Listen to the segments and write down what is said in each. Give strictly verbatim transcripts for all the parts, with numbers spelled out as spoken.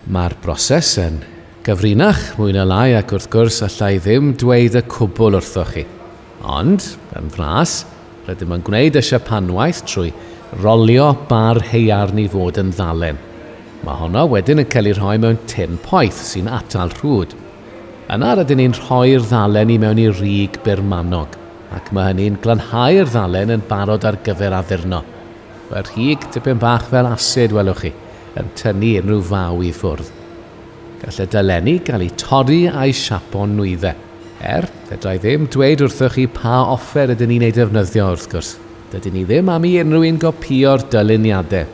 Mae'r broses yn gyfrinach mwy na lai ac wrth gwrs allai ddim dweud y cwbl wrthoch chi. Ond, yn fras, rydym yn gwneud y siapanwaith trwy rolio bar haearn i fod yn ddalen. Mae honno wedyn yn cael ei rhoi mewn tin poeth sy'n atal rhwd. Yna rydyn ni'n rhoi'r ddalen i mewn i rig burmanog, ac mae hynny'n glanhau'r ddalen yn barod ar gyfer addurno. Mae'r rhig tipyn bach fel asid, welwch chi, yn tynnu unrhyw faw i ffwrdd. Gall y dalenni gael eu torri a'u siapo'n nwyddau. Er, fedra i ddim dweud wrthoch chi pa offer ydyn ni'n ei defnyddio wrth gwrs. Dydyn ni ddim am i unrhyw un gopio'r dyluniadau.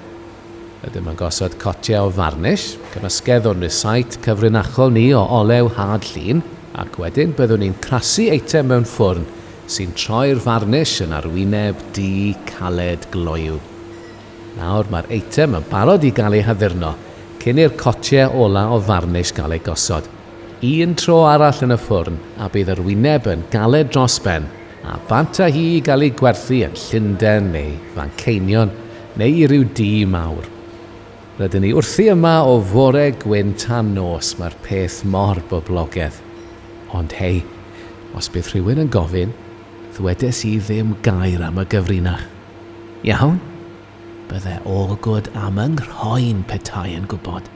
Ydym yn gosod cotiau o farnish, cymysgedd o'n rysait cyfrinachol ni o olew had llin, ac wedyn byddwn ni'n crasu eitem mewn ffwrn sy'n troi'r farnish yn arwyneb du caled gloyw. Nawr mae'r eitem yn barod i gael ei haddurno cyn i'r cotiau ola o farnish gael ei gosod. Un tro arall yn y ffwrn a bydd yr wyneb yn galed dros ben a bant â hi i gael ei gwerthu yn Llundain neu Fanceinion neu i ryw dŷ mawr. Rydyn ni wrthi yma o fore gwyn tan nos, mae'r peth mor boblogaidd. Ond hei, os bydd rhywun yn gofyn, ddwedes i ddim gair am y gyfrinach. Iawn? Bydde Allgood am yng nghroen petai yn gwybod.